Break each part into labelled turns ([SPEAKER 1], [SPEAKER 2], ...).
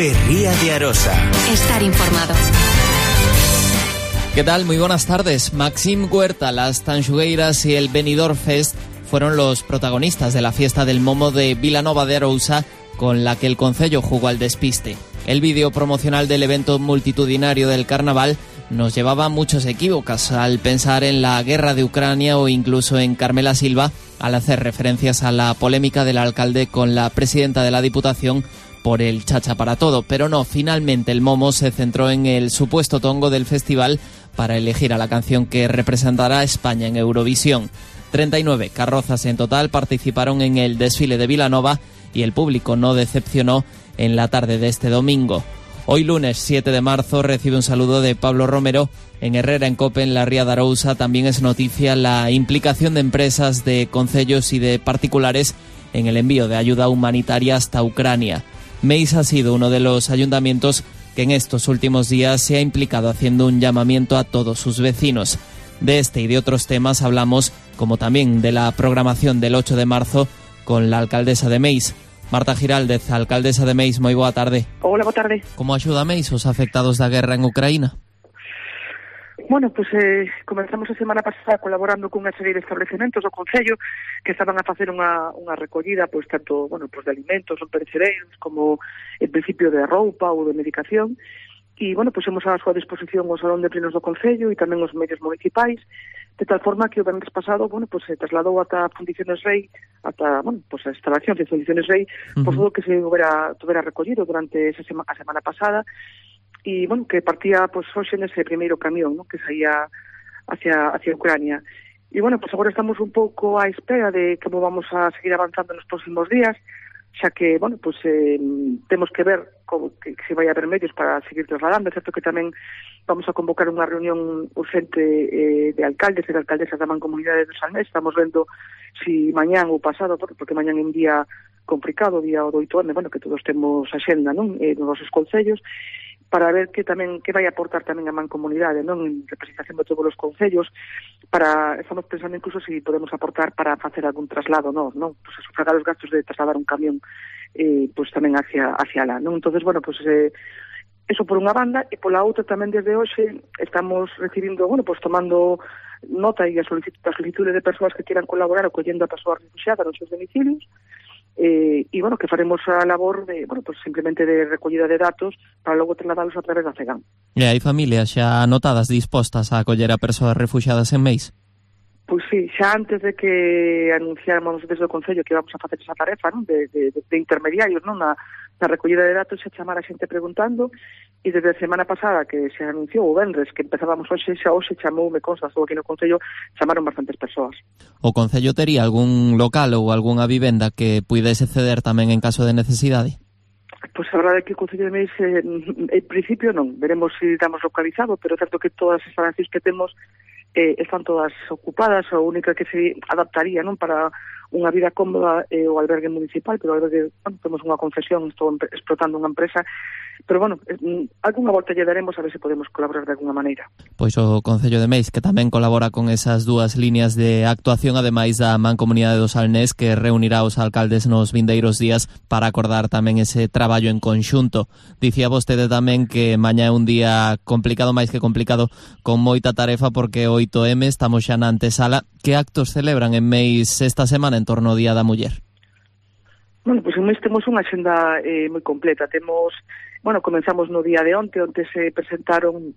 [SPEAKER 1] COPE Ría de Arosa.
[SPEAKER 2] Estar informado.
[SPEAKER 3] ¿Qué tal? Muy buenas tardes. Maxim Huerta, las Tanxugueiras y el Benidorm Fest fueron los protagonistas de la fiesta del momo de Vilanova de Arousa, con la que el concello jugó al despiste. El vídeo promocional del evento multitudinario del carnaval nos llevaba a muchos equívocos al pensar en la guerra de Ucrania o incluso en Carmela Silva al hacer referencias a la polémica del alcalde con la presidenta de la Diputación por el chacha para todo. Pero no, finalmente el momo se centró en el supuesto tongo del festival para elegir a la canción que representará a España en Eurovisión. 39 carrozas en total participaron en el desfile de Vilanova y el público no decepcionó en la tarde de este domingo. Hoy lunes 7 de marzo recibe un saludo de Pablo Romero en Herrera en Cope, en la Ría de Arousa. También es noticia la implicación de empresas, de concellos y de particulares en el envío de ayuda humanitaria hasta Ucrania. Meis ha sido uno de los ayuntamientos que en estos últimos días se ha implicado haciendo un llamamiento a todos sus vecinos. De este y de otros temas hablamos, como también de la programación del 8 de marzo con la alcaldesa de Meis. Marta Giraldez, alcaldesa de Meis, moi boa tarde.
[SPEAKER 4] Hola, boa tarde.
[SPEAKER 3] Como axuda Meis os afectados da guerra en Ucraína?
[SPEAKER 4] Bueno, pues comenzamos a semana pasada colaborando con unha serie de establecementos do Concello que estaban a facer unha recollida, pues tanto, bueno, pues de alimentos non perecederos como en principio de roupa ou de medicación. E, bueno, pues hemos a súa disposición o Salón de Plenos do Concello e tamén os medios municipais, de tal forma que o venres pasado, bueno, pues se trasladou ata Fundiciones Rei, ata, bueno, pues a instalación de Fundiciones Rei, por todo o que se houbera recollido durante a semana pasada, e, bueno, que partía, pues, hoxe nese primeiro camión, ¿no?, que saía hacia Ucrania. E, bueno, pues agora estamos un pouco á espera de como vamos a seguir avanzando nos próximos días, xa que, bueno, pues temos que ver como que se vai a haber medios para seguir trasladando. É certo que tamén vamos a convocar unha reunión urgente de alcaldes e de alcaldesas da Mancomunidade do Salnés. Estamos vendo si mañán ou pasado, porque mañán é un día complicado, día do 8M, bueno, que todos temos axenda, non, nos nosos concellos, para ver que vai aportar tamén a Mancomunidade, non, en representación de todos os concellos. Estamos pensando incluso si podemos aportar para facer algún traslado, non, pues a sufragar os gastos de trasladar un camión pues tamén hacia lá, non? Entonces, bueno, pues eso por unha banda, e pola outra tamén desde hoxe estamos recibindo, bueno, pues tomando nota e a solicitude de persoas que quieran colaborar o collendo a persoas refugiadas nos seus domicilios, e, bueno, que faremos a labor de, bueno, pues simplemente de recollida de datos para logo trasladalos a través da CEGAM.
[SPEAKER 3] E hai familias xa anotadas dispostas a acoller a persoas refugiadas en Meis?
[SPEAKER 4] Pois sí, xa antes de que anunciáramos desde o Concello que íbamos a facer esa tarefa, non, de intermediarios, non, na recollida de datos, xa chamar a xente preguntando, e desde a semana pasada que se anunciou o venres que empezábamos hoxe chamou, me consta, estou aquí no Concello, chamaron bastantes persoas.
[SPEAKER 3] O Concello tería algún local ou algunha vivenda que puidese ceder tamén en caso de necesidade?
[SPEAKER 4] Pois a verdade é que o Concello de Meis en principio non, veremos se damos localizado, pero é certo que todas as instalacións que temos están todas ocupadas. A única que se adaptaría, non, para unha vida cómoda o albergue municipal, pero albergue, bueno, temos unha concesión, estou explotando unha empresa, pero bueno, algunha volta lle daremos a ver se podemos colaborar de alguna maneira.
[SPEAKER 3] Pois o Concello de Meis, que tamén colabora con esas dúas líneas de actuación, ademais da Mancomunidade do Salnés, que reunirá os alcaldes nos vindeiros días para acordar tamén ese traballo en conxunto. Dicía vostede tamén que mañá é un día complicado, máis que complicado, con moita tarefa, porque 8M, estamos xa na antesala. Que actos celebran en Meis esta semana en torno ao Día da Muller?
[SPEAKER 4] Bueno, pues en Meis temos unha axenda moi completa. Bueno, comenzamos no día de onte se presentaron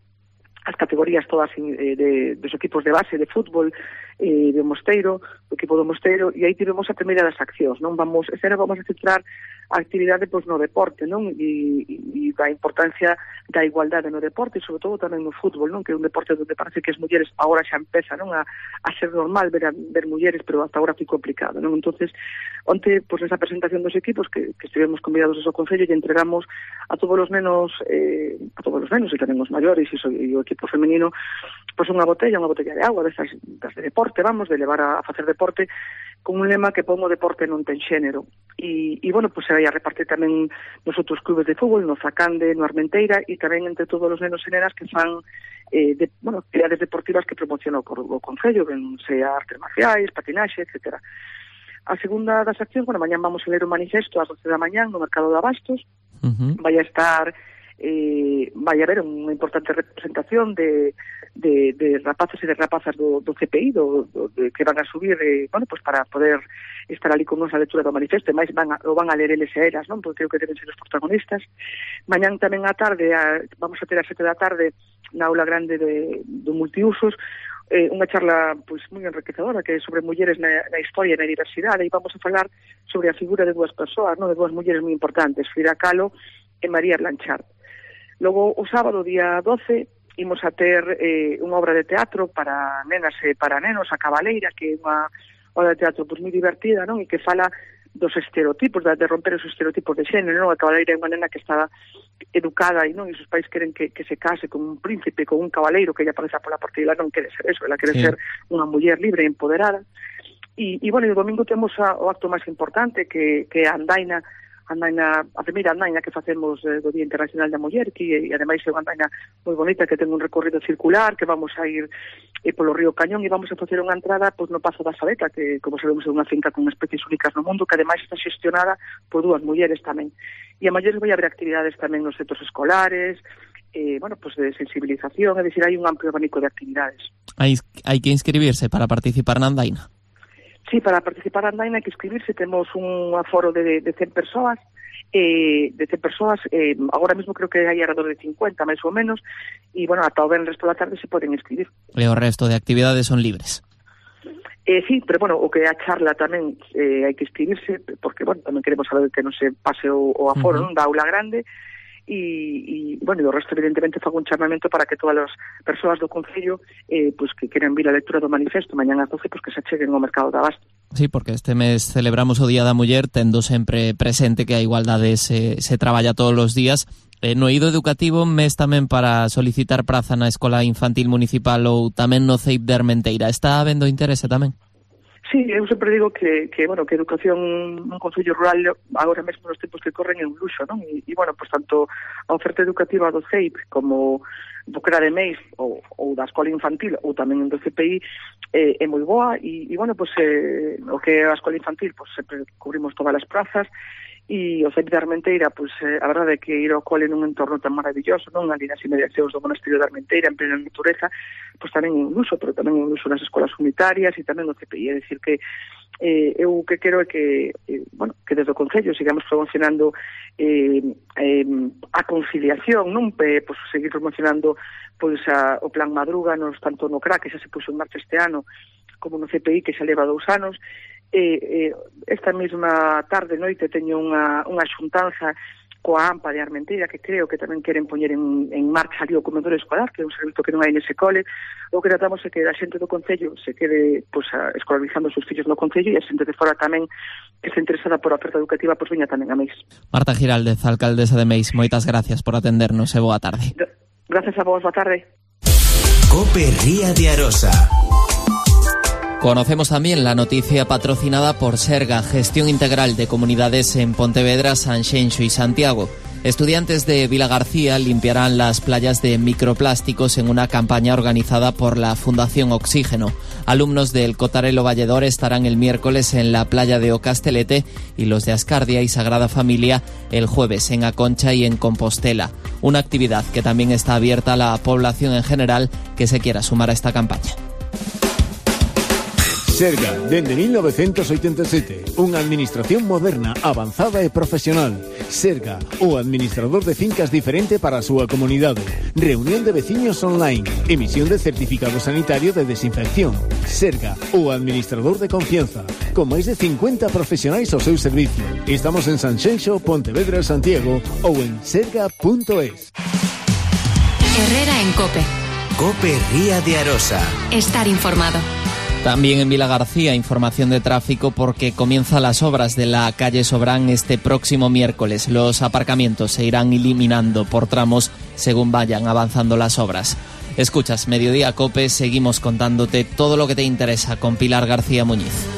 [SPEAKER 4] as categorías todas dos equipos de base de fútbol de Mosteiro, o equipo do Mosteiro, e aí tivemos a primeira das accións, non? Este ano vamos a centrar a actividade pois no deporte, non? E a importancia da igualdade no deporte, e sobre todo tamén no fútbol, non? Que é un deporte onde parece que as mulleres agora xa empeza, non, a ser normal ver mulleres, pero hasta agora foi complicado, non? Entonces, onte, pois nesa presentación dos equipos que estivemos convidados ao Concello, e entregamos a todos os nenos e tamén os maiores e o equipo femenino pois unha botella de agua das de deporte, vamos, de levar a facer deporte, con un lema que pon o deporte non ten xénero. E bueno, pois se vai a repartir tamén nos outros clubes de fútbol, no Zacande, no Armenteira, e tamén entre todos os nenos e nenas que fan actividades deportivas que promociona o Concello, ben sea artes marciais, patinaxe, etcétera. A segunda das accións, bueno, mañán vamos a ler o manifesto ás 12 da mañán no Mercado de Abastos, vai a haber unha importante representación de rapaces e de rapazas do CPI que van a subir pues para poder estar ali con nos a lectura do manifesto, e máis van a ler eles e elas, non? Porque creo que deben ser os protagonistas. Mañán tamén á tarde vamos a ter a 7 da tarde na aula grande do multiusos unha charla pois moi enriquecedora que é sobre mulleres na historia e na diversidade, e vamos a falar sobre a figura de dúas persoas, non? De dúas mulleres moi importantes, Frida Kahlo e María Blanchard. Logo, o sábado, día 12, imos a ter unha obra de teatro para nenas e para nenos, A Cabaleira, que é unha obra de teatro moi divertida, non? E que fala dos estereotipos, de romper os estereotipos de xénero, non? A Cabaleira é unha nena que está educada e non, e os pais queren que se case con un príncipe, con un cabaleiro que ella apareza pola porta, e ela non quere ser eso, ela quere ser unha muller libre e empoderada. E bueno, o domingo temos o acto máis importante que é a andaina, a primeira andaina que facemos do Día Internacional da Muller, que ademais é unha andaina moi bonita que ten un recorrido circular, que vamos a ir polo río Cañón e vamos a facer unha entrada pois no Pazo da Sabeta, que como sabemos é unha finca con especies únicas no mundo, que ademais está xestionada por dúas mulleres tamén. E a maiores vai haber actividades tamén nos centros escolares, pues de sensibilización, é dicir, hai un amplio abanico de actividades.
[SPEAKER 3] Hai que inscribirse para participar na andaina?
[SPEAKER 4] Sí, para participar na andaina hai que inscribirse, temos un aforo de 100 persoas, agora mesmo creo que hai alrededor de 50, máis ou menos, e, bueno, ata o venres pola tarde se poden inscribir.
[SPEAKER 3] E o resto de actividades son libres?
[SPEAKER 4] Sí, pero, bueno, o que é a charla tamén hai que inscribirse, porque, bueno, tamén queremos saber que non se pase o aforo, non, da aula grande, e bueno, o resto evidentemente fago un chamamento para que todas as persoas do Concello pues que queren vir a lectura do manifesto mañán ás 12, pues que se acheguen ao mercado de Abasto.
[SPEAKER 3] Sí, porque este mes celebramos o Día da Muller tendo sempre presente que a igualdade se traballa todos os días. No eido educativo, mes tamén para solicitar praza na Escola Infantil Municipal ou tamén no CEIP de Armenteira. Está habendo interese tamén?
[SPEAKER 4] Sí, eu sempre digo que educación nun concello rural agora mesmo nos tempos que corren é un luxo, non? E bueno, pues tanto a oferta educativa do CEIP como do CRA de MEIS ou da Escola Infantil ou tamén do CPI é moi boa e bueno, pues o que é a Escola Infantil, pues sempre cubrimos todas as prazas e o CEIP de Armenteira, pues a verdade é que ir ao cole nun entorno tan maravilloso, non? Ali nas inmediacións do monasterio de Armenteira, en plena natureza, pues tamén é un luxo, pero tamén é un luxo nas escolas unitarias e tamén no CPI, é dicir que eu que quero é que que desde o Concello sigamos promocionando a conciliación, non? Pues seguir promocionando pues o plan Madrúganos, tanto no CRA, que xa se puxo en marcha este ano, como no CPI, que xa leva 2 anos. Esta mesma tarde noite teño unha xuntanza coa AMPA de Armenteira, que creo que tamén queren poñer en marcha ali o comedor escolar, que é un servizo que non hai nese cole. O que tratamos é que a xente do Concello se quede escolarizando os seus fillos no Concello e a xente de fora tamén que se interesada por a oferta educativa veña tamén a Meis.
[SPEAKER 3] Marta Giraldez, alcaldesa de Meis, moitas gracias por atendernos e boa tarde.
[SPEAKER 4] Gracias a vos, boa tarde.
[SPEAKER 1] COPE Ría de Arosa.
[SPEAKER 3] Conocemos también la noticia patrocinada por Serga, Gestión Integral de Comunidades en Pontevedra, Sanxenxo y Santiago. Estudiantes de Vilagarcía limpiarán las playas de microplásticos en una campaña organizada por la Fundación Oxígeno. Alumnos del Cotarelo Valledor estarán el miércoles en la playa de Ocastelete y los de Ascardia y Sagrada Familia el jueves en Aconcha y en Compostela. Una actividad que también está abierta a la población en general que se quiera sumar a esta campaña.
[SPEAKER 2] Serga, dende 1987, unha administración moderna, avanzada e profesional. Serga, o administrador de fincas diferente para a súa comunidade. Reunión de veciños online, emisión de certificado sanitario de desinfección. Serga, o administrador de confianza, con máis de 50 profesionais ao seu servicio. Estamos en Sanxenxo, Pontevedra, Santiago ou en serga.es.
[SPEAKER 5] Herrera en COPE.
[SPEAKER 1] COPE Ría de Arosa.
[SPEAKER 5] Estar informado.
[SPEAKER 3] También en Vilagarcía, información de tráfico porque comienzan las obras de la calle Sobrán este próximo miércoles. Los aparcamientos se irán eliminando por tramos según vayan avanzando las obras. Escuchas Mediodía COPE, seguimos contándote todo lo que te interesa con Pilar García Muñiz.